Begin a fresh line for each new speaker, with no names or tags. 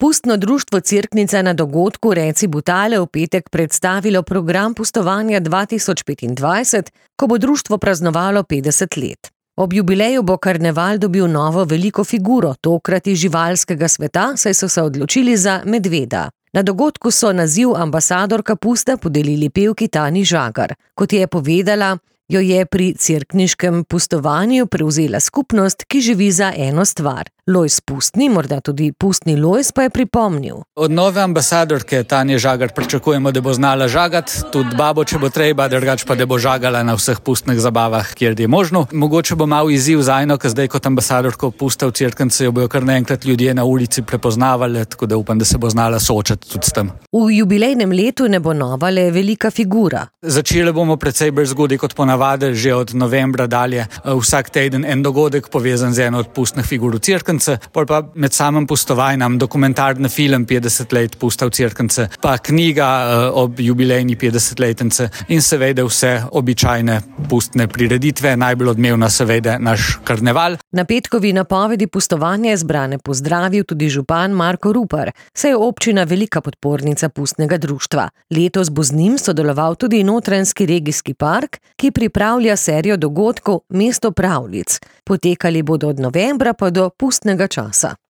Pustno društvo Cerknica na dogodku Reci Butale v petek predstavilo program pustovanja 2025, ko bo društvo praznovalo 50 let. Ob jubileju bo karneval dobil novo veliko figuro, tokrat iz živalskega sveta, saj so se odločili za medveda. Na dogodku so naziv ambasadorka pusta podelili pevki Tanji Žagar. Kot je povedala, jo je pri cerkniškem pustovanju prevzela skupnost, ki živi za eno stvar. Lojz Pustni, morda tudi Pustni Lojz, pa je pripomnil.
Od nove ambasadorke Tanje Žagar pričakujemo, da bo znala žagati, tudi babo, če bo treba, drugače pa da bo žagala na vseh pustnih zabavah, kjer je možno. Mogoče bo mal izziv zajno, ker zdaj kot ambasadorko pusta v Cerknici jo bojo kar naenkrat ljudje na ulici prepoznavali, tako da upam, da se bo znala soočati tudi s tem.
V jubilejnem letu ne bo nova le velika figura.
Začeli bomo precej bolj zgodaj kot ponavadi, že od novembra dalje. Vsak teden en dogodek povezan z eno od pustnih figur v Cerknici. Pol pa med samim pustovanjem dokumentarni film 50 let pusta v Cerknici, pa knjiga ob jubilejni 50-letnici in seveda vse običajne pustne prireditve, najbolj odmevna seveda naš karneval.
Na petkovi napovedi pustovanja je zbrane pozdravil tudi župan Marko Rupar, saj je občina velika podpornica pustnega društva. Letos bo z njim sodeloval tudi Notranjski regijski park, ki pripravlja serijo dogodkov Mesto pravljic. Potekali bodo od novembra pa do pustnega časa.